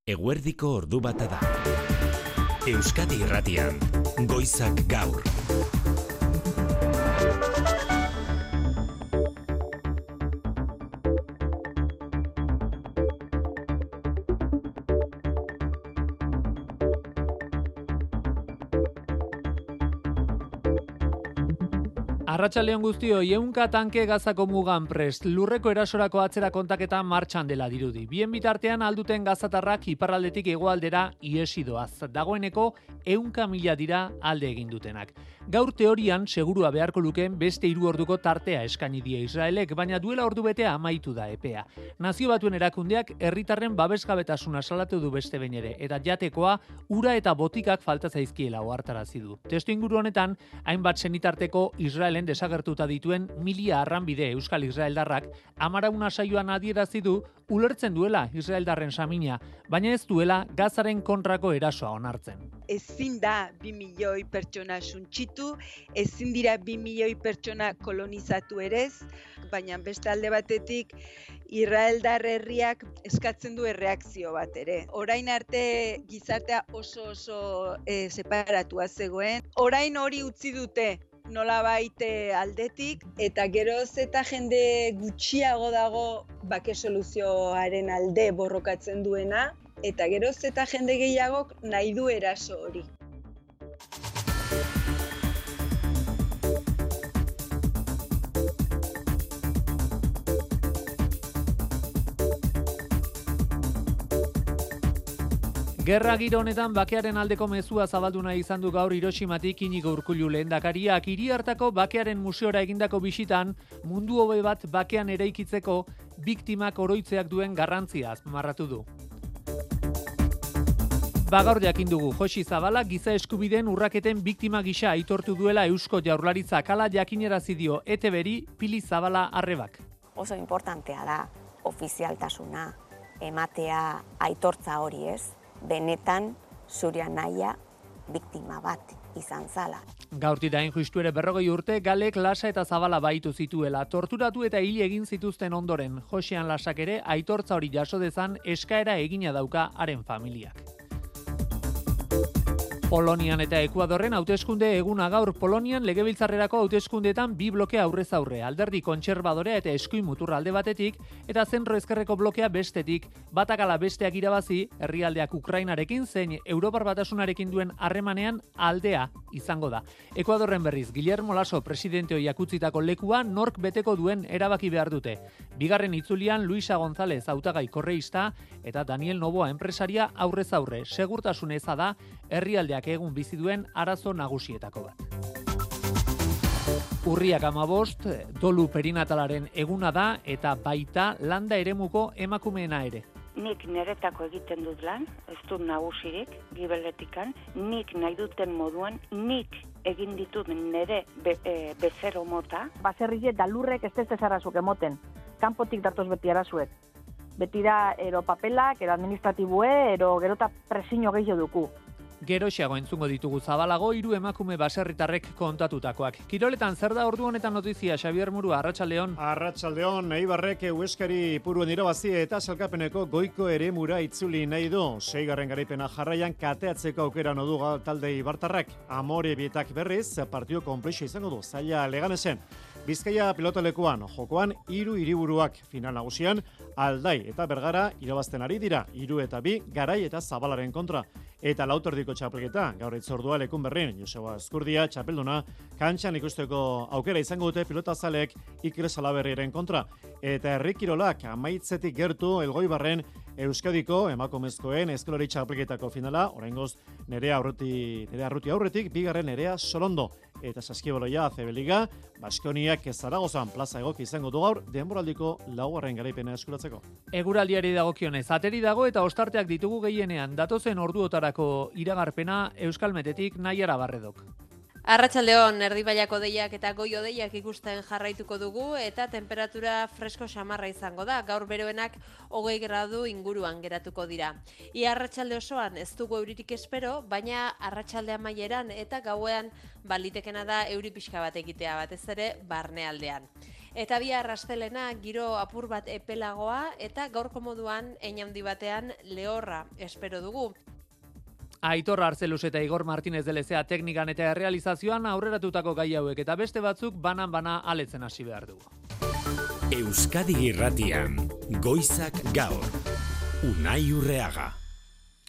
Eguerdiko ordu bata da. Euskadi Irratian, Goizak Gaur. Arratsaldeon guztioi, 100 tanke Gazako mugan prest, lurreko erasorako atzera kontaketa martxan dela dirudi. Bien bitartean alduten gazatarrak iparraldetik hegoaldera ihesi doaz. Dagoeneko 100.000 dira alde egin dutenak. Gaur teorian segurua beharko lukeen beste 3 orduko tartea eskaini die Israelek, baina duela ordu betea amaitu da epea. Nazio Batuen erakundeak herritarren babesgabetasuna salatu du beste behin ere, eta jatekoa, ura eta botikak falta zaizkiela ohartarazi du. Testuinguru honetan, hainbat senitarteko Israelen desagertuta dituen 1000 arranbide Euskal Israeldarrak amarauna saioan adierazi du ulertzen duela Israeldarren samina, baina ez duela Gazaren kontrako erasoa onartzen. Ezin da 2 milioi pertsona suntsitu, ezin dira 2 milioi pertsona kolonizatu ere, baina beste alde batetik Israeldar herriak eskatzen du erreakzio bat ere. Orain arte gizartea oso separatua zegoen, orain hori utzi dute nolabait aldetik, eta geroz eta jende gutxiago dago bake soluzioaren alde borrokatzen duena, eta geroz eta jende gehiagok nahi du eraso hori. Gerra giro honetan bakearen aldeko mezua zabaldu nahi izan du gaur Hiroshimatik Inigo Urkullu lehendakariak. Hiri hartako bakearen museora egindako bisitan mundu hobe bat bakean eraikitzeko biktimak oroitzeak duen garrantzia azpimarratu du. Gaur jakin dugu Josi Zabala giza eskubideen urraketen biktima gisa aitortu duela Eusko Jaurlaritzak, hala jakinarazi dio ETB-ri Pili Zabala Arrebak. Oso importantea da ofizialtasuna ematea aitortza hori, ez? Benetan zure anaia biktima bat izan zala. Gaurtik hain justu ere 40 urte Galek Lasa eta Zabala baitu zituela. Torturatu eta hil egin zituzten ondoren, Josean Lasak ere aitortza hori jaso dezan eskaera egina dauka haren familiak. Polonian eta Ekuadorren hauteskunde eguna gaur. Polonian legebiltzarrerako hauteskundeetan 2 bloke aurrez aurre, alderdi kontserbadorea eta eskuin muturra alde batetik, eta zentro ezkerreko blokea bestetik, batak ala besteak irabazi, herrialdeak Ukrainarekin zein Europar Batasunarekin duen harremanean aldea izango da. Ekuadorren berriz, Guillermo Lasso presidente ohiak utzitako lekua nork beteko duen erabaki behar dute. Bigarren itzulian Luisa González hautagai korreista eta Daniel Noboa enpresaria aurrez aurre. Segurtasun eza da herrialdeak egun bizi duen arazo nagusietako bat. Urriak 15, dolu perinatalaren eguna da eta baita landa eremuko emakumeena ere. Nik niretako egiten dut lan, ez dut nagusirik, gibeletikan, nik nahi duten moduan, nik egin ditut nire bezero mota. Baserriek da lurrek ez zarazuk emoten, kanpotik datoz beti arazuek. Beti da ero papelak, ero administratibue, ero gerota presio gehiago duku. Geroxeago entzungo ditugu Zabalago 3 emakume baserritarrek kontatutakoak. Kiroletan zer da ordu honetan notizia, Xabier Murua, Arratsaldeon. Arratsaldeon, Eibarrek Hueskari Ipuruen irabazi eta sailkapeneko goiko eremura itzuli nahi du. 6. garaipena jarraian kateatzeko aukera du talde ibartarrak. Amore bietak berriz partido konplexua izango du zaila Leganesen. Bizkaia pilotalekuan jokoan 3 hiriburuak final nagusian Aldai eta Bergara irabazten ari dira. 3 eta 2 Garai eta Zabalaren kontra. Eta lauterdiko txapelketa, gaur itzordua lekun berrin, Joseba Eskurdia, txapelduna, kantxan ikusteko aukera izango dute pilotazalek Iker Salaberriren kontra. Eta herrikirolak amaitzetik gertu Elgoibarren Euskadiko emakumezkoen eskolari txapelketako finala, oraingoz Nerea Arruti aurretik, bigarren Nerea Solondo. Eta saskibaloia ACB Liga, Baskoniak Zaragozan plaza egoki izango du gaur, denboraldiko 4. garaipena eskuratzeko. Eguraldiari dagokionez, ateri dago eta ostarteak ditugu gehienean, datozen orduotarako iragarpena Euskalmetetik Naiara Barredok. Arratsaldeon, erdibaiako deiak eta goio-deiak ikusten jarraituko dugu eta temperatura fresko samarra izango da. Gaur beroenak 20 gradu inguruan geratuko dira. Ia arratsalde osoan ez dugu euririk espero, baina arratsalde amaieran eta gauean balitekena da euri pixka bat egitea, batez ere barnealdean. Eta bihar astelena giro apur bat epelagoa eta gaurko moduan hein handi batean lehorra espero dugu. Aitor Arzeluz eta Igor Martinez de Lezea teknikan eta errealizazioan aurreratutako gai hauek eta beste batzuk banan-bana aletzen hasi behar dugu. Euskadi Irratian, Goizak Gaur, Unai Urreaga.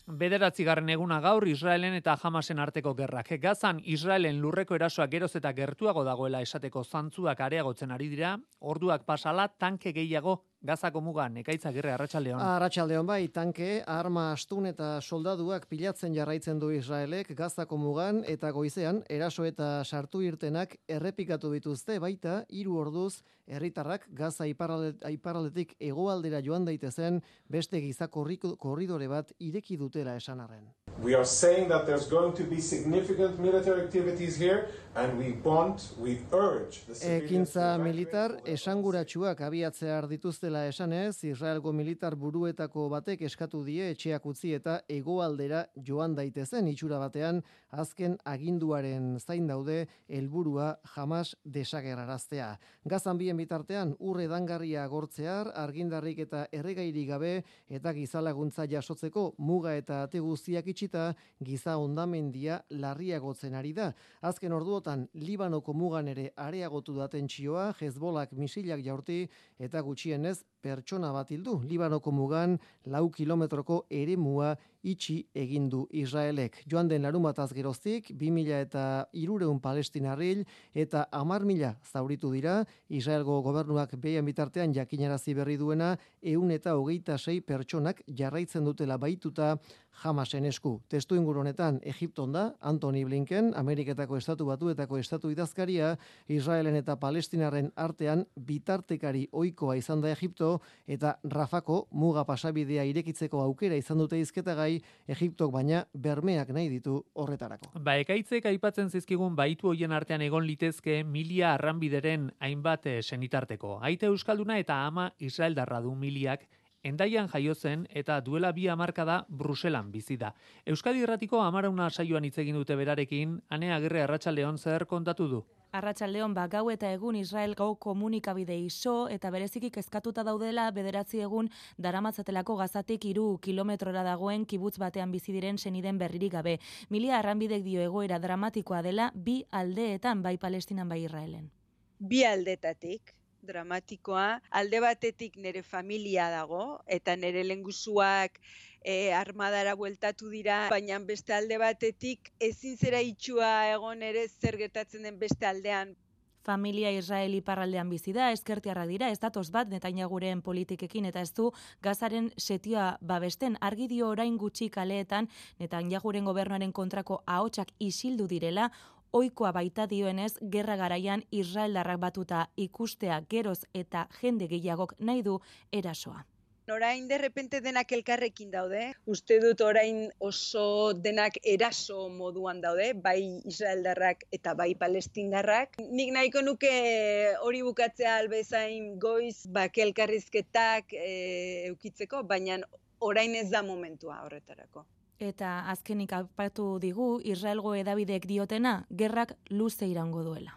9. eguna gaur Israelen eta Hamasen arteko gerrak. Gazan Israelen lurreko erasoak geroz eta gertuago dagoela esateko zantzuak areagotzen ari dira, orduak pasala tanke gehiago Gazako mugan. Ekaitz Agirre, arratsaldeon. Arratsaldeon bai, tanke, arma astun eta soldaduak pilatzen jarraitzen du Israelek Gazako mugan eta goizean eraso eta sartu irtenak errepikatu dituzte baita 3 orduz herritarrak Gaza iparraldetik hegoaldera joan daitezen beste giza korridore bat ireki dutela esan arren. We are saying that there's going to be significant military activities here and we urge the Ekintza militar esanguratsuak abiatzea dituztela esanez, Israelgo militar buruetako batek eskatu die etxeak utzi eta hegoaldera joan daitezen itxura batean azken aginduaren zain daude helburua Hamas desagerraraztea. Gazan bien bitartean urre dangarria agortzear, argindarrik eta erregairik gabe eta gizalaguntza jasotzeko muga eta ate guztiak itxita giza hondamendia larriagotzen ari da. Azken orduotan Libanoko mugan ere areagotu da tentsioa, Hezbolak misilak jaurti eta gutxienez pertsona bat hildu. Libanoko mugan 4 kilometroko eremua itxi egin du Israelek. Joan den larunbataz geroztik 2.300 palestinarril eta 10.000 zauritu dira. Israelgo gobernuak behien bitartean jakinarazi berri duena 126 pertsonak jarraitzen dutela baituta Hamasen esku. Testu inguru honetan Egipton da Antony Blinken, Ameriketako Estatu Batuetako estatu idazkaria, Israelen eta Palestinarren artean bitartekari ohikoa izan da Egipto eta Rafako muga pasabidea irekitzeko aukera izan dute hizketagai Egiptok baina bermeak nahi ditu horretarako. Ekaitzek aipatzen zizkigun baitu hoien artean egon litezke milia arranbideren hainbat senitarteko. Aita euskalduna eta ama israeldarra du miliak Endaian jaio zen eta duela 2 hamarkada Bruselan bizi da. Euskadi Irratiko 10 saioan hitz egin dute berarekin, Ane Agirre arratsaldeon zer kontatu du? Arratsaldeon gau eta egun Israel gau komunikabide iso eta bereziki kezkatuta daudela 9 egun daramatzatelako Gazatik 3 kilometrora dagoen kibutz batean bizi diren seniden berririk gabe. Milia arranbidek dio egoera dramatikoa dela 2 aldeetan, bai Palestinan bai Israelen. 2 aldetatik dramatikoa, alde batetik nire familia dago, eta nire lengusuak armadara bueltatu dira, baina beste alde batetik ezin zera itxua egon ere zer gertatzen den beste aldean. Familia Israel iparraldean bizi da, ezkertiarra dira, ez datoz bat Netanyahuren politikekin eta ez du Gazaren setioa babesten. Argi dio orain gutxi kaleetan Netanyahuren gobernuaren kontrako ahotsak isildu direla, ohikoa baita dioenez, gerra garaian israeldarrak batuta ikustea geroz eta jende gehiagok nahi du erasoa. Orain derrepente denak elkarrekin daude. Uste dut orain oso denak eraso moduan daude, bai israeldarrak eta bai palestindarrak. Nik nahiko nuke hori bukatzea albezain goiz bake elkarrizketak eukitzeko, baina orain ez da momentua horretarako. Eta azkenik aipatu digu Israelgo hedabideek diotena, gerrak luze iraungo duela.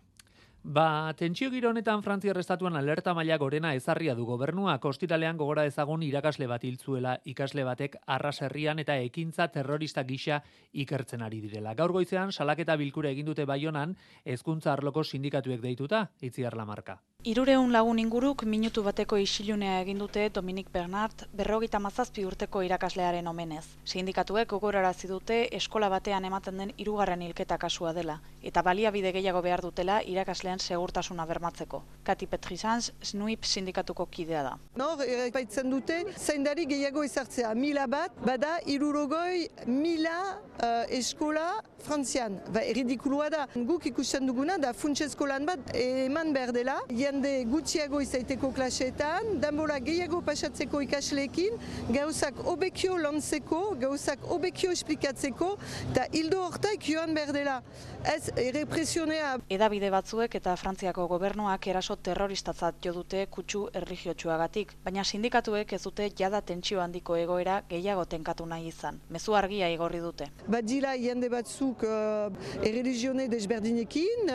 Tentsio giro honetan Frantziar estatuan alerta maila gorena ezarria du gobernuak. Ostiralean gogora ezagun irakasle bat hiltzuela, ikasle batek Arras-herrian eta ekintza terrorista gisa ikertzen ari direla. Gaur goizean salaketa bilkura egin dute Baionan, hezkuntza arloko sindikatuek deituta, Itziar Lamarka. 300 lagun inguruk minutu bateko isilunea egin dute Dominik Bernard 57 urteko irakaslearen omenez. Sindikatuek gogorarazi dute eskola batean ematen den 3. hilketa kasua dela eta baliabide gehiago behar dutela irakasleen segurtasuna bermatzeko. Kati Petrizans, SNUIP sindikatuko kidea da. Nor, erraipatzen dute, zaindari gehiago ezartzea. 1000 bat, bada 300.000 eskola Frantzian. Erridikulua da. Guk ikusten duguna da funtsezko lan bat eman behar dela. Jende gutxiago izaiteko klaseetan, denbora gehiago pasatzeko ikasleekin, gauzak hobekio lantzeko, gauzak hobekio esplikatzeko, eta hildo hortak joan behar dela. Ez errepresionea. Hedabide batzuek eta Frantziako gobernuak eraso terroristatzat jo dute kutsu erlijiotsuagatik, baina sindikatuek ez dute jada tentsio handiko egoera gehiago tenkatu nahi izan. Mezu argia igorri dute. badira jende batzuk erreligione desberdinekin,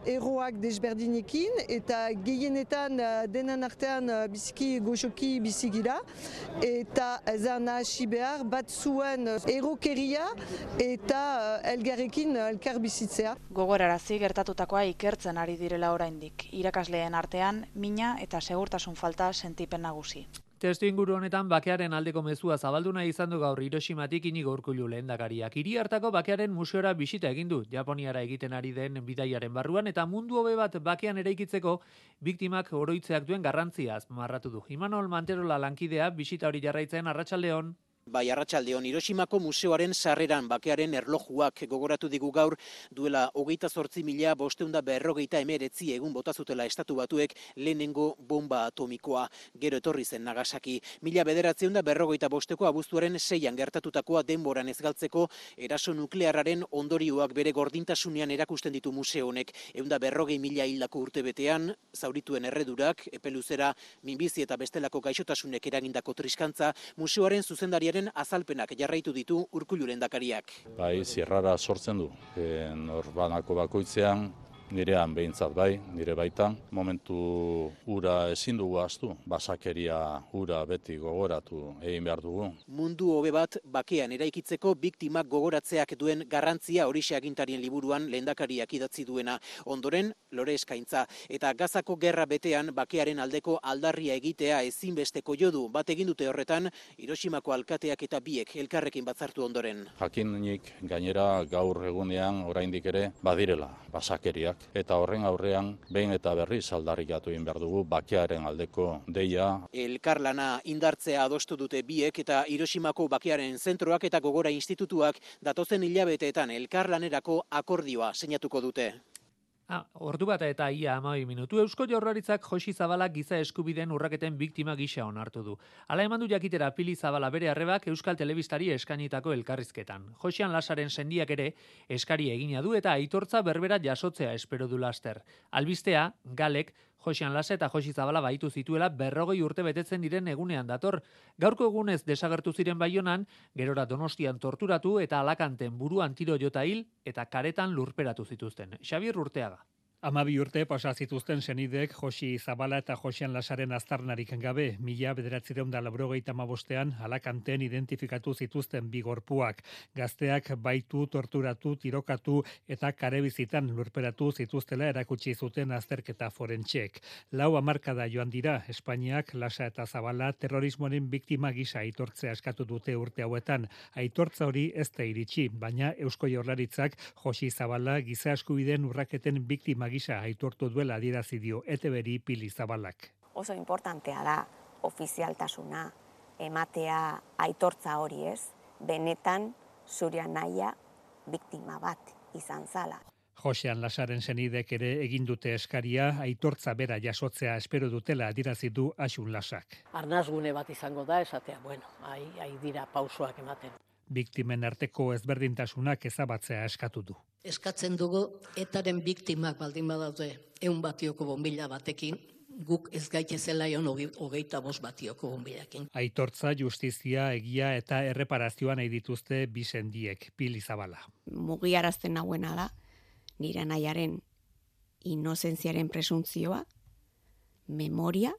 eroak desberdinekin, eta gehienetan denan artean biziki goxoki bizigira, eta ezan hasi behar batzuen erokeria eta elgarrekin elkar bizitzea. Gogorarazi gertatutakoa ikertzen ari direla oraindik. Irakasleen artean mina eta segurtasun falta sentipen nagusi. Testuinguru honetan bakearen aldeko mezua zabaldu nahi izan du gaur Hiroshimatik Inigo Urkullu lehendakariak. Hiri hartako bakearen museora bisita egin du, Japoniara egiten ari den bidaiaren barruan, eta mundu hobe bat bakean eraikitzeko biktimak oroitzeak duen garrantzia azpimarratu du. Imanol Manterola lankidea bisita hori jarraitzen, arratsaldeon. Bai, arratsaldeon, Hiroshimako museoaren sarreran bakearen erlojuak gogoratu digu gaur duela 28.549 egun bota zutela Estatu Batuek lehenengo bomba atomikoa. Gero etorri zen Nagasaki. 1945 abuztuaren 6an gertatutakoa denboran ez galtzeko eraso nuklearraren ondorioak bere gordintasunean erakusten ditu museo honek. 140.000 hildako urtebetean, zaurituen erredurak, epeluzera, minbizi eta bestelako gaixotasunek eragindako triskantza, museoaren zuzendariaren azalpenak jarraitu ditu Urkullu lehendakariak. Bai, zierrara sortzen du. Norbanako bakoitzean, nirean behintzat bai, nire baitan, momentu ura ezin dugu ahaztu, basakeria ura beti gogoratu egin behar dugu. Mundu hobe bat bakean eraikitzeko biktimak gogoratzeak duen garrantzia horixe agintarien liburuan lehendakariak idatzi duena. Ondoren, lore eskaintza eta Gazako gerra betean bakearen aldeko aldarria egitea ezinbesteko jodu bat egin dute horretan Hiroshimako alkateak eta biek elkarrekin batzartu ondoren. Jakinik gainera gaur egunean oraindik ere badirela basakeriak. Eta horren aurrean, behin eta berriz aldarrikatu egin behar dugu bakearen aldeko deia. Elkarlana indartzea adostu dute biek eta Hiroshimako bakearen zentroak eta gogora institutuak datozen hilabeteetan elkarlanerako akordioa sinatuko dute. Ordu bat eta ia 12 minutu. Eusko Jaurlaritzak Josi Zabalak giza eskubideen urraketen biktima gisa onartu du. Hala eman du jakitera Pili Zabala bere arrebak Euskal Telebistari eskainitako elkarrizketan. Josian Lasaren sendiak ere eskari egina du eta aitortza berbera jasotzea espero du laster. Albistea, Galek, Josian Lasa eta Josi Zabala baitu zituela 40 urte betetzen diren egunean dator. Gaurko egunez desagertu ziren Baionan, gerora Donostian torturatu eta Alakanten buruan tiro jota hil eta karetan lurperatu zituzten. Xabier Urteaga. 12 urte pasa zituzten senidek Josi Zabala eta Josian Lasaren aztarnarik gabe, 1995ean Alakanten identifikatu zituzten bi gorpuak. Gazteak baitu, torturatu, tirokatu eta karebizitan lurperatu zituztela erakutsi zuten azterketa forentxek. 4 hamarkada joan dira, Espainiak Lasa eta Zabala terrorismoaren biktima gisa aitortzea eskatu dute urte hauetan. Aitortza hori ez da iritsi, baina Eusko Jaurlaritzak Josi Zabala giza eskubideen urraketen biktima gisa aitortu duela adierazi dio ETB-ri Pili Zabalak. Oso importantea da ofizialtasuna ematea aitortza hori ez, benetan zure anaia biktima bat izan zala. Josean Lasaren senidek ere egin dute eskaria, aitortza bera jasotzea espero dutela adierazi du Asun Lasak. Arnasgune bat izango da esatea, ai dira pausoak ematen. Biktimen arteko ezberdintasunak ezabatzea eskatu du. Eskatzen dugu etaren biktimak baldin badaude 100 batioko bonbila batekin, guk ez gaitezela ion 25 batioko bonbilakin. Aitortza, justizia, egia eta erreparazioa nahi dituzte bi sendiek, Pili Zabala. Mugiarazten nauena da, nire anaiaren inozentziaren presuntzioa, memoria,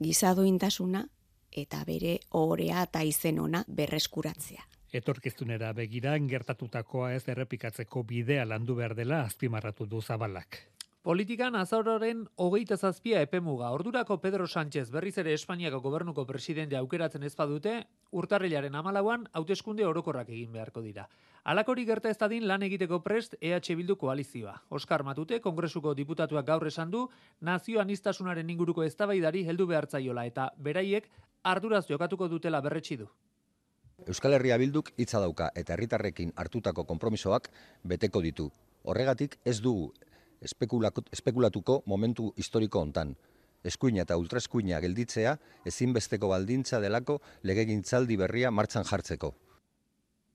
gizadointasuna eta bere ohorea eta izen ona berreskuratzea. Etorkizunera begira gertatutakoa ez errepikatzeko bidea landu behar dela azpimarratu du Zabalak. Politikan azaroren 27 epemuga. Ordurako Pedro Sánchez berriz ere Espainiako gobernuko presidente aukeratzen ez badute, urtarrilaren 14an hauteskunde orokorrak egin beharko dira. Halakori gerta ez dadin lan egiteko prest EH Bildu koalizioa. Oskar Matute, Kongresuko diputatuak gaur esan du, nazio aniztasunaren inguruko eztabaidari heldu behartzaiola eta beraiek arduraz jokatuko dutela berretsi du. Euskal Herria Bilduk hitza dauka eta herritarrekin hartutako konpromisoak beteko ditu. Horregatik ez dugu espekulatuko momentu historiko hontan. Eskuina eta ultraeskuina gelditzea ezinbesteko baldintza delako legegintzaldi berria martxan jartzeko.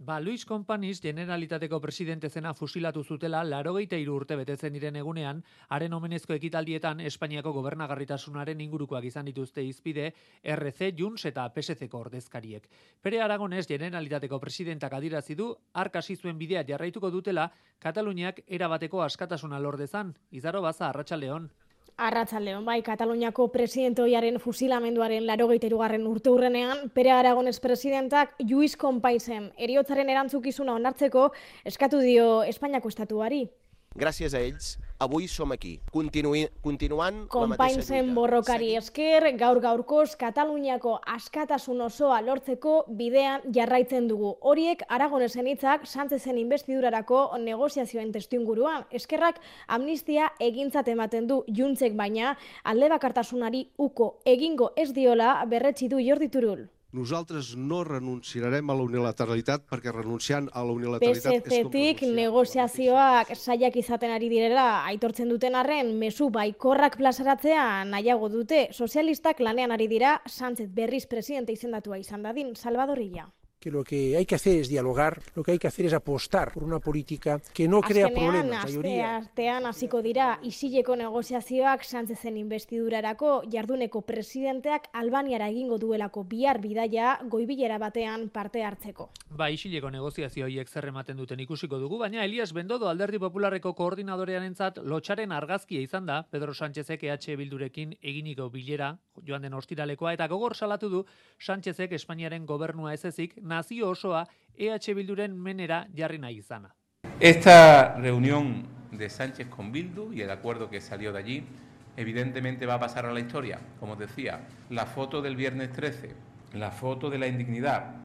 Luis Companys Generalitateko presidente zena fusilatu zutela 83 urte betetzen diren egunean, haren omenezko ekitaldietan Espainiako gobernagarritasunaren ingurukoak izan dituzte hizpide RC, Junts eta PSC-ko ordezkariek. Pere Aragones Generalitateko presidentak adierazi du hark hasi zuen bidea jarraituko dutela Kataluniak erabateko askatasuna lor dezan. Izaro Baza, Arratsaldeon. Arratsaldeon, bai, Kataluniako presidente ohiaren fusilamenduaren 83. urteurrenean, Pere Aragones presidentak Luis Companysen heriotzaren erantzukizuna onartzeko eskatu dio Espainiako estatuari. Gràcies a ells, avui som aquí, continuant Companysen borrokari esker, gaur-gaurkoz Kataluniako askatasun osoa lortzeko bidean jarraitzen dugu. Horiek Aragonesen hitzak Sánchezen investidurarako negoziazioen testuinguruan. Eskerrak amnistia egintzat ematen du Juntsek, baina alde bakartasunari uko egingo ez diola berretsi du Jordi Turull. Nosaltres no renunciarem a la unilateralitat perquè renunciant a la unilateralitat PSC-tik negoziazioak saiak izaten ari direla aitortzen duten arren, mezu baikorrak plazaratzea nahiago dute. Sozialistak lanean ari dira Sánchez berriz presidente izendatua izan dadin. Salvador Illa. Que lo que hay que hacer es dialogar, lo que hay que hacer es apostar por una política que no crea problemas. Artean hasiko dira isileko negoziazioak Sánchezen investidurarako jarduneko presidenteak Albaniara egingo duelako bihar bidaia goibilera batean parte hartzeko. Isileko negoziazio horiek zer ematen duten ikusiko dugu, baina Elias Bendodo Alderdi Popularreko koordinadorearentzat lotxaren argazkia izan da Pedro Sánchezek EH Bildurekin eginiko bilera joan den ostiralekoa, eta gogor salatu du Sánchezek Espainiaren gobernua ez ezik nazio osoa EH Bilduren menera jarri nahi izana. Esta reunión de Sánchez con Bildu y el acuerdo que salió de allí evidentemente va a pasar a la historia. Como os decía, la foto del viernes 13, la foto de la indignidad.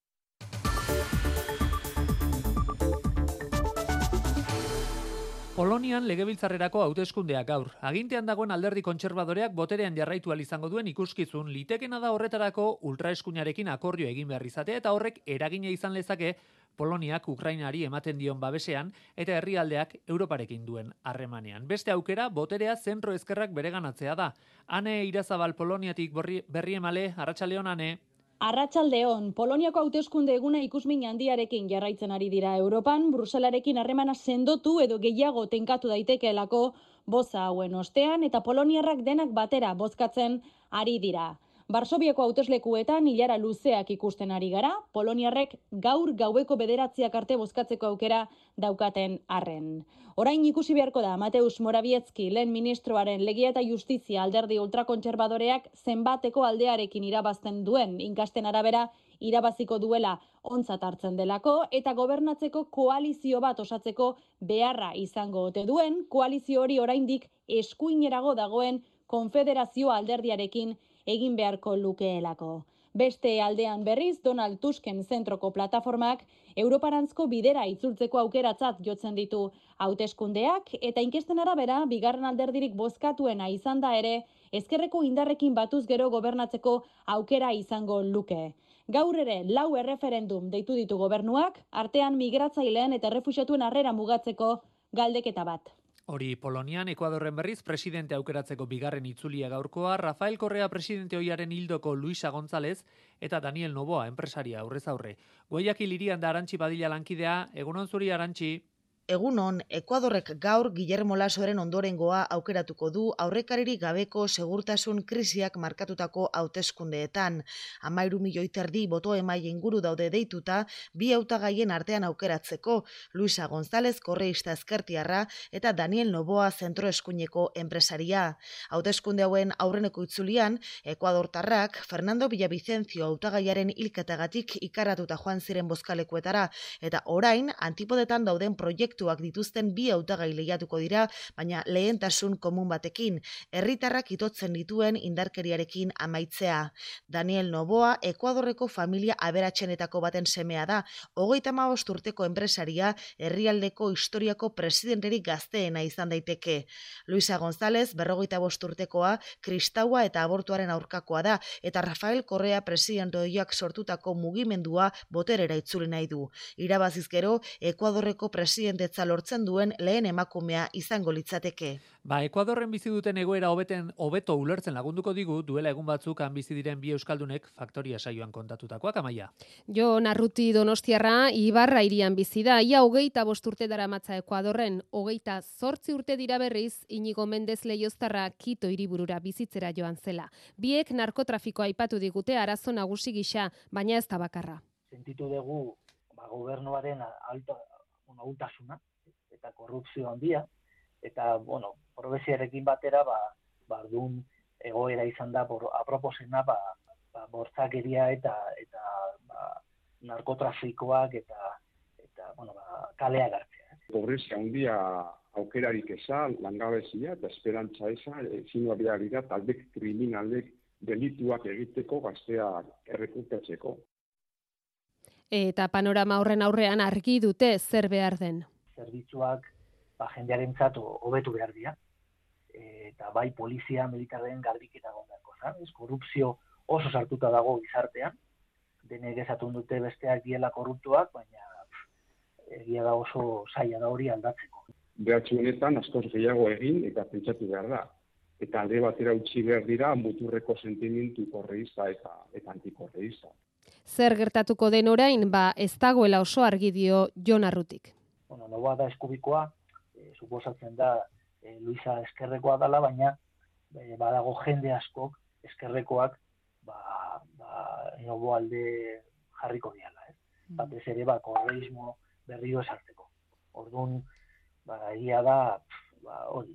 Polonian legebiltzarrerako hauteskundeak gaur. Agintean dagoen alderdi kontserbadoreak boterean jarraitu ahal izango duen ikuskizun, litekena da horretarako ultraeskuinarekin akordio egin behar izatea, eta horrek eragina izan lezake Poloniak Ukrainari ematen dion babesean eta herrialdeak Europarekin duen harremanean. Beste aukera, boterea zentro ezkerrak bereganatzea da. Ane Irazabal Poloniatik berriemale, Arratsaldeon Ane. Arratsaldeon, Poloniako hauteskunde eguna ikusmin handiarekin jarraitzen ari dira Europan, Bruselarekin harremana sendotu edo gehiago tenkatu daitekeelako boza hauen ostean, eta poloniarrak denak batera bozkatzen ari dira. Varsoviako hauteslekuetan ilara luzeak ikusten ari gara, poloniarrek gaur gaueko 9 arte bozkatzeko aukera daukaten arren. Orain ikusi beharko da Mateusz Morawiecki lehen ministroaren Legia eta Justizia alderdi ultrakontserbadoreak zenbateko aldearekin irabazten duen, inkasten arabera irabaziko duela ontzat hartzen delako, eta gobernatzeko koalizio bat osatzeko beharra izango ote duen, koalizio hori oraindik eskuinerago dagoen konfederazio alderdiarekin egin beharko lukeelako. Beste aldean berriz, Donald Tusken zentroko plataformak Europarantzko bidera itzultzeko aukeratzat jotzen ditu hauteskundeak, eta inkesten arabera, bigarren alderdirik bozkatuena izan da ere, ezkerreko indarrekin batuz gero gobernatzeko aukera izango luke. Gaur ere, 4 erreferendum deitu ditu gobernuak, artean migratzaileen eta errefuxiatuen harrera mugatzeko galdeketa bat. Hori Polonian, Ekuadorren berriz presidente aukeratzeko bigarren itzulia gaurkoa, Rafael Correa presidente ohiaren hildoko Luisa González eta Daniel Noboa enpresaria aurrez aurre. Guayaquil hirian da Arantxi Badilla lankidea, egunon zuri Arantxi. Egunon, Ekuadorrek gaur Guillermo Lasoren ondorengoa aukeratuko du aurrekaririk gabeko segurtasun krisiak markatutako hauteskundeetan. 13 milioi terdi boto emaile inguru daude deituta, bi hautagaien artean aukeratzeko, Luisa González korreista ezkertiarra eta Daniel Noboa zentroeskuineko enpresaria. Hauteskunde hauen aurreneko itzulian, Ekuadortarrak Fernando Villavicencio hautagaiaren hilketagatik ikaratuta joan ziren bozkalekuetara, eta orain antipodetan dauden proiektuak dituzten bi hautagai lehiatuko dira, baina lehentasun komun batekin, herritarrak itotzen dituen indarkeriarekin amaitzea. Daniel Noboa, Ekuadorreko familia aberatsenetako baten semea da, 35 urteko enpresaria, herrialdeko historiako presidenterik gazteena izan daiteke. Luisa González, 45 urtekoa, kristaua eta abortuaren aurkakoa da, eta Rafael Correa presidente ohiak sortutako mugimendua boterera itzuli nahi du. Irabaziz gero, Ekuadorreko presidente bizikidetza lortzen duen lehen emakumea izango litzateke. Ekuadorren bizi duten egoera hobeto ulertzen lagunduko digu duela egun batzuk han bizi diren bi euskaldunek Faktoria saioan kontatutakoak, Amaia. Jon Arruti donostiarra Ibarra hirian bizi da. Ia 25 urte daramatza Ekuadorren, 28 urte dira berriz Inigo Mendez Leioztarra Quito hiriburura bizitzera joan zela. Biek narkotrafikoa aipatu digute arazo nagusi gisa, baina ez da bakarra. Sentitu dugu gobernuaren ahultasuna eta korrupzio handia, eta, probezioarekin batera, bardun egoera izan da, aproposena, bortzakeria eta narkotrafikoak eta kalea gartzea. Pobrezia handia aukerarik eza, langabezia eta esperantza eza, ezin dira talde kriminalek delituak egiteko gazteak errekurtatzeko. Eta panorama horren aurrean argi dute zer behar den. Zerbitzuak jendearentzat hobetu behar dira. Eta bai polizia militarren garbiketa gondako. Korrupzio oso sartuta dago gizartean. Denek esatun dute besteak diela korruptuak, baina egia da oso zaila da hori aldatzeko. Behatzu honetan askoz gehiago egin eta pentsatu behar da. Eta alde batera utzi behar dira muturreko sentimentu korreista eta antikorreista. Zer gertatuko den orain, ez dagoela oso argi dio Jon Arrutik. Noboa da eskubikoa, suposatzen da Luisa eskerrekoa dela, baina badago jende askok eskerrekoak nobo alde jarriko diala. Batez ere, korreismo berriro esartzeko. Orduan, egia da, hori,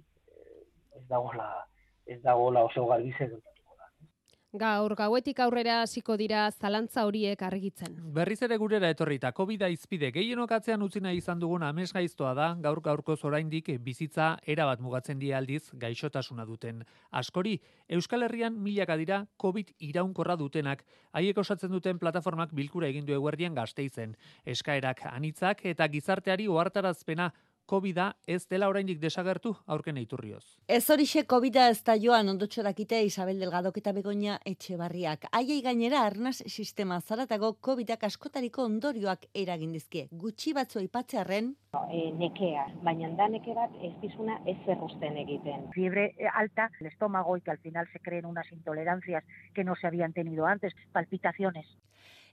ez dagoela oso garbize gertatuko da. Gaur gauetik aurrera hasiko dira zalantza horiek argitzen. Berriz ere gurera etorrita COVID-a izpide gehienok atzean utzi nahi izan dugun amesgaiztoa da, gaurkoz oraindik bizitza erabat mugatzen die aldiz gaixotasuna duten. Askori, Euskal Herrian milaka dira COVID iraunkorra dutenak, haiek osatzen duten plataformak bilkura egin du eguerdian Gasteizen. Eskaerak anitzak eta gizarteari ohartarazpena COVID-a ez dela oraindik desagertu aurken iturrioz. Ez horixe COVID-a ez da joan ondotxo dakite Isabel Delgadok eta Begoña Etxebarriak. Haiei gainera arnaz sistema zaratago COVID-ak askotariko ondorioak eragin dizkie. Gutxi batzu aipatzearren nekea, baina da neke bat ez dizuna ez zerrosten egiten. Fiebre alta, el estómago y que al final se creen unas intolerancias que no se habían tenido antes, palpitaciones.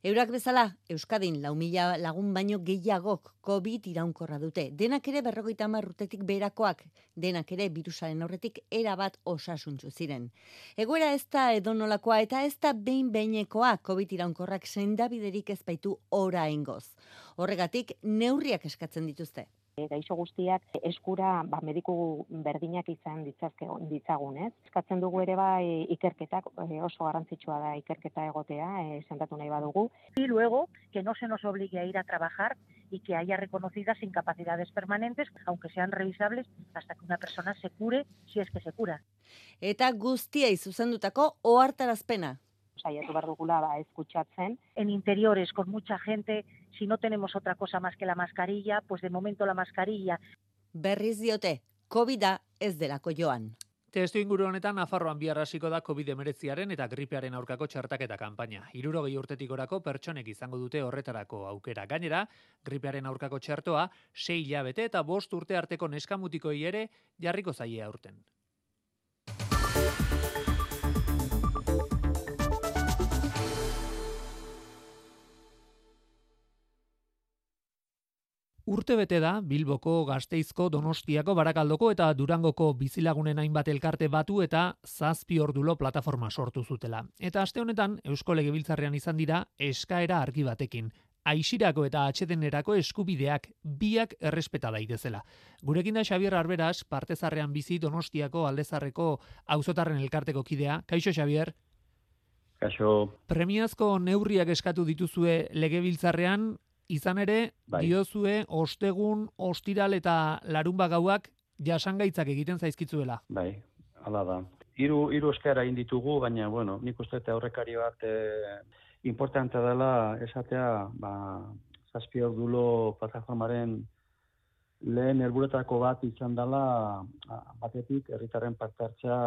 Eurak bezala, Euskadin 4.000 lagun baino gehiagok COVID iraunkorra dute. Denak ere 50 urtetik beherakoak, denak ere birusaren aurretik erabat osasuntsu ziren. Egoera ez da edonolakoa eta ez da behin-behinekoa COVID iraunkorrak sendabiderik ez baitu oraingoz. Horregatik neurriak eskatzen dituzte. Gaixo guztiak eskura mediku berdinak izan ditzagun, ez? Eskatzen dugu ere ikerketak, oso garrantzitsua da ikerketa egotea, sentatu nahi badugu. Y luego, que no se nos obligue a ir a trabajar y que haya reconocidas incapacidades permanentes, aunque sean revisables, hasta que una persona se cure, si es que se cura. Eta guztiei zuzendutako ohartarazpena. Saiatu behar dugula escuchatzen. En interiores, con mucha gente, si no tenemos otra cosa más que la mascarilla, pues de momento la mascarilla. Berriz diote, COVID-a ez delako joan. Testu inguru honetan, Nafarroan bihar hasiko da COVID-19 eta gripearen aurkako txertaketa kanpaina. 60 urtetik gorako pertsonek izango dute horretarako aukera. Gainera, gripearen aurkako txertoa 6 hilabete eta 5 urte arteko neskamutikoi ere jarriko zaie aurten. Urte bete da Bilboko, Gasteizko, Donostiako, Barakaldoko eta Durangoko bizilagunen hainbat elkarte batu eta 7 ordulo plataforma sortu zutela. Eta aste honetan Eusko Legebiltzarrean izan dira eskaera argi batekin. Aisirako eta atsedenerako eskubideak biak errespeta daitezela. Gurekin da Xabier Arberas, Partezarrean bizi Donostiako Aldezarreko auzotarren elkarteko kidea. Kaixo Xabier. Kaixo. Premiazko neurriak eskatu dituzue Legebiltzarrean. Izan ere, diozue, ostegun, ostiral eta larunba gauak jasangaitzak egiten zaizkitzuela. Bai, hala da. Hiru eskaera egin ditugu, baina, nik uste eta aurrekari bat importantea dela esatea, 7 ordulo plataformaren lehen helburuetako bat izan dela batetik herritarren parte hartzea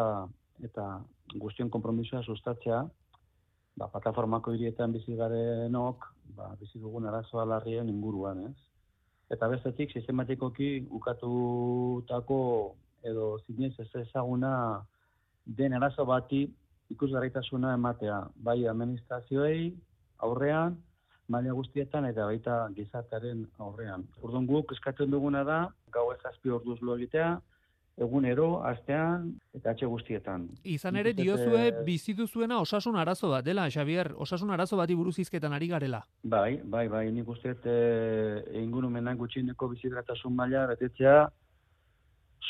eta guztion konpromisoa sustatzea. Plataformako hirietan bizi garenok, bizi dugun arazoa larrien inguruan, ez? eta bestetik sistematikoki ukatutako edo zinez ez ezaguna den arazo bati ikusgarritasuna ematea, bai administrazioei aurrean, maila guztietan eta baita gizartearen aurrean. Orduan guk eskatzen duguna da, gauez 7 orduz lo egitea, egunero, astean eta atxe guztietan. Izan ere, diozue bizi duzuena osasun arazo bat dela, Xabier, osasun arazo bati buruz hizketan ari garela. Bai, nik uste ingurumenak gutxieneko bizigratasun maila betetzea,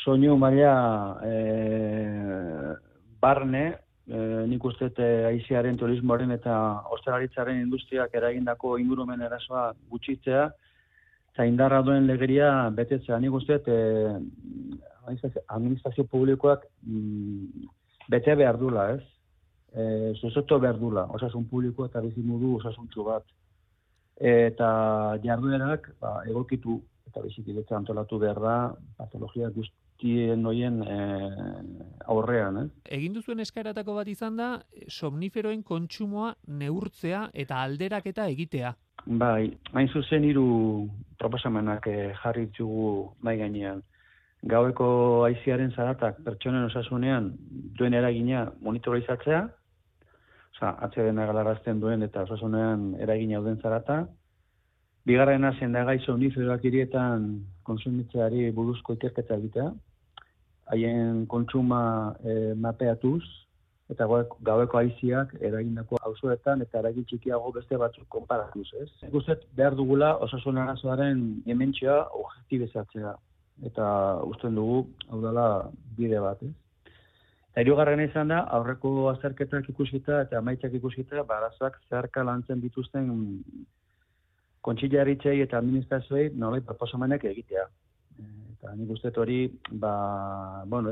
soinu maila barne, nik uste aiziaren, turismoaren eta ostalaritzaren industriak eragindako ingurumen erasoa gutxitzea, eta indarra duen legeria betetzea. Nik uste administrazio publikoak bete behar dula, ez? Zuzoto behar dula, osasun publiko eta bizimodu osasuntzu bat. Eta jarduerak egokitu eta bizikidetza antolatu behar da patologia guztien noien aurrean, ez? Egin duzuen eskaeratako bat izan da, somniferoen kontsumoa neurtzea eta alderaketa egitea. Bai, hain zuzen 3 proposamenak jarri ditugu mai gainean. Gaueko haiziaren zaratak pertsonen osasunean duen eragina monitorizatzea, atsedena galarazten duen eta osasunean eragina duen zarata. Bigarrena sendagai somniferoak hirietan kontsumitzeari buruzko ikerketa egitea, haien kontsuma mapeatuz, eta gaueko haiziak eragindako auzoetan eta eragin txikiago beste batzuk konparatuz, ez? Guztet behar dugula osasun arazoaren dimentsioa objektibizatzea. Eta usten dugu, hau dela bide bat, ez? Eta hirugarrena izan da, aurreko azterketak ikusita eta amaitzak ikusita, arazoak zeharka lantzen dituzten kontxillaritzei eta administrazioei nolai proposamenak egitea. Eta nik uste hori, ez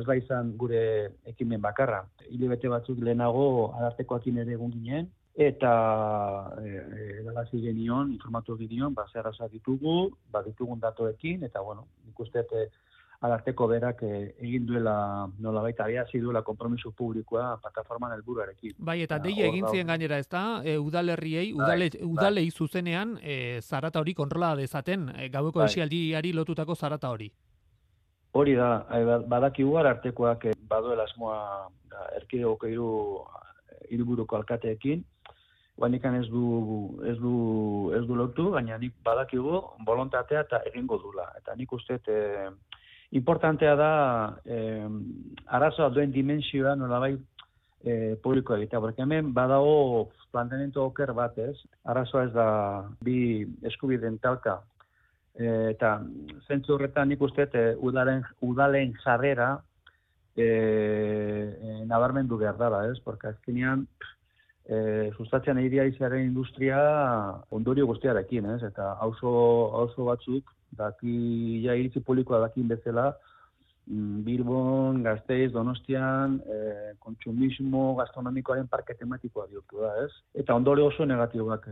da izan gure ekimen bakarra. Hilabete batzuk lehenago arartekoakin ere egon ginen, eta edalazi genion, informatu genion, zer arazoak ditugu, ditugun datoekin, eta nik uste ararteko berak egin duela nolabait abiazi duela konpromiso publikoa plataforman helburuarekin. Bai, eta deia egin zien gainera, ezta? Udalerriei, udalei zuzenean zarata hori kontrola dezaten, gaueko esialdiari lotutako zarata hori. Hori da, badakigu arartekoak baduela asmoa erkidegoko 3 hiriburuko alkateekin, guanikan ez du lotu, baina nik badakigu bolontatea eta egingo dula. Eta nik uste importantea da arazoa duen dimensioa nolabait publiko egitea. Porque hemen badago planteamiento oker bat, ez? Arazoa ez da bi eskubideen talka. Eta zentzu horretan nik uste udalen jarrera nabarmendu behar dela, ez? Porque azkenean sustatzen hiriaizaren industria ondorio guztiarekin, ez? Eta auzo batzuk iritzi publikoa dakin bezala Bilbon, Gasteiz, Donostian, kontsumismo gastronomikoaren parke tematikoa bihurtu da, ez? Eta ondorio oso negatiboak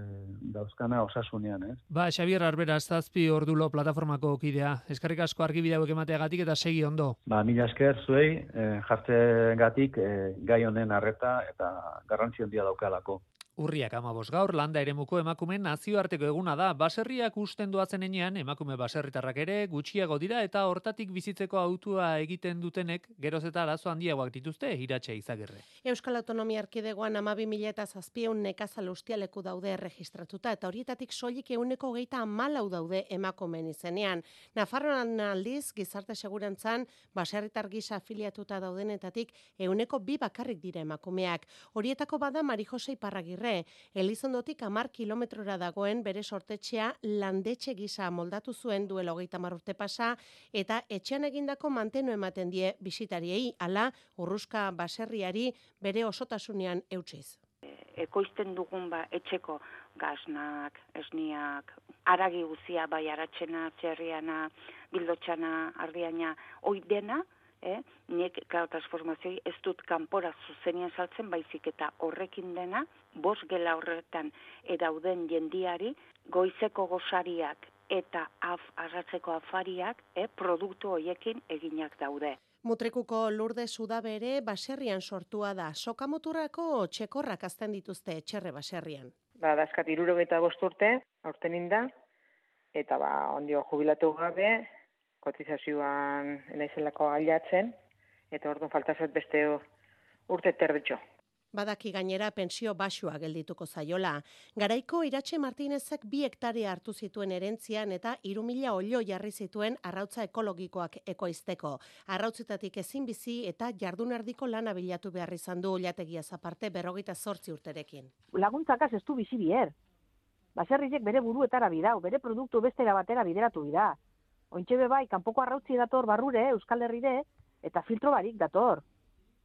dauzkana osasunean, ez? Xabier Arbera, 7 ordulo plataformako kidea. Eskerrik asko argibide hauek emateagatik eta segi ondo. Mila esker zuei jartzegatik gai honen arreta eta garrantzi handia daukalako. Urriak 15 gaur, landa eremuko emakumeen nazioarteko eguna da. Baserriak usten doazen enean, emakume baserritarrak ere gutxiago dira eta hortatik bizitzeko autua egiten dutenek geroz eta arazo handiagoak dituzte, Iratxe Izagirre. Euskal Autonomia Erkidegoan 12.700 nekazal ustialeku daude erregistratuta eta horietatik soilik 124 daude emakumeen izenean. Nafarroan aldiz, gizarte segurantzan, baserritar gisa afiliatuta daudenetatik 102 bakarrik dira emakumeak. Horietako bada Mari Jose Iparragirre. Elizondotik 10 kilometrora dagoen bere sortetxea landetxe gisa moldatu zuen duela 30 urte pasa eta etxean egindako mantenu ematen die bisitariei, hala urruska baserriari bere osotasunean eutsiz. Ekoizten dugun etxeko gasnak, esniak, aragi guzia, bai aratxena, txerriana, bildotxana, ardiana, hoi dena, nek transformazioi ez dut kanpora zuzenien saltzen, baizik eta horrekin dena, 5 gela horretan edauden jendiari, goizeko gozariak eta arratzeko afariak produktu hoiekin eginak daude. Mutrikuko Lourdes Udabere baserrian sortua da. Sokamuturrako txekorrak azten dituzte etxerre baserrian. Dazkat 65 urte, aurten inda, eta ondio jubilatu gabe, kotizazioan naizelako ailatzen, eta orduan falta zait beste urte terditxo. Badaki gainera pensio baxua geldituko zaiola. Garaiko Iratxe Martinezek 2 hektarea hartu zituen erentzian eta 3.000 olio jarri zituen arrautza ekologikoak ekoizteko. Arrautzetatik ezin bizi eta jardunardiko lana bilatu behar izan du olategiaz aparte 28 urterekin. Laguntzakaz ez du bizi bier. Baserriek bere buruetara bidau, bere produktu bestera batera bideratu dira. Ointxe bai, kanpoko arrautzi dator barrure, Euskal Herrire, eta filtro barik dator.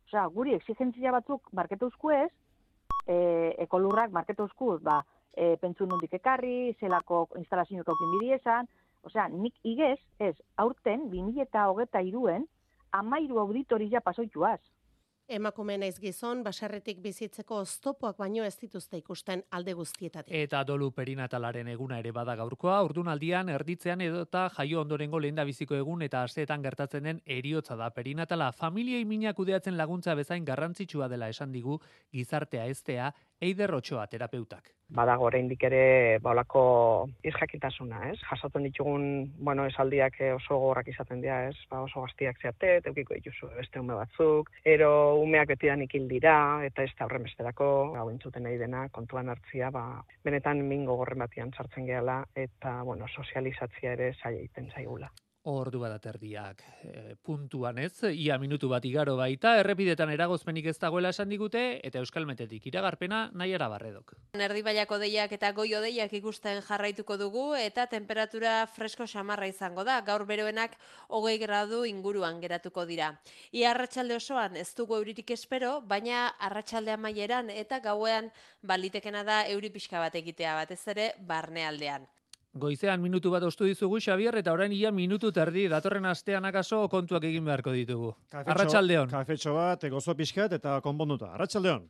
Osea, guri exigentzia batzuk marketuzku ez, ekolurrak marketuzku, pentsu nondik ekarri, zelako instalazioak aukin bidiesan, osea, nik igez, ez, aurten 2023en 13 auditoria pasoituaz. Emakume naiz gizon, baserritik bizitzeko oztopoak baino ez dituzte ikusten alde guztietatik. Eta dolu perinatalaren eguna ere bada gaurkoa, ordunaldian erditzean edota jaio ondorengo lehendabiziko egun eta asteetan gertatzen den heriotza da. Perinatala familiei mina kudeatzen laguntza bezain garrantzitsua dela esan digu gizartea eztea Eider Otxoa terapeutak. Badago oraindik ere olako isjakintasuna, ez? Jasotzen ditugun, esaldiak oso gogorrak izaten dira, ez? Oso gaztiak zeate, edukiko dituzu beste ume batzuk, ero umeak betidanik hil dira eta ez da horren besterako, hau entzuten nahi dena kontuan hartzia, benetan min gogorren batian sartzen gehala eta sozializatzia ere zaila egiten zaigula. Ordu bat aterdiak puntuan ez, ia minutu bat igaro baita, errepidetan eragozpenik ez dagoela esan digute, eta Euskalmetetik iragarpena Naiara Barredok. Erdibaiako deiak eta goio deiak ikusten jarraituko dugu, eta temperatura fresko samarra izango da, gaur beroenak 20 gradu inguruan geratuko dira. Ia arratsalde osoan ez dugu euririk espero, baina arratsalde amaieran eta gauean balitekena da euri pixka bat egitea batez ere barnealdean. Goizean minutu bat ostu dizugu, Xabier, eta orain ia minutu terdi, datorren astean akaso kontuak egin beharko ditugu. Arratsaldeon. Kafetxo bat, gozo pixkat eta konponduta. Arratsaldeon.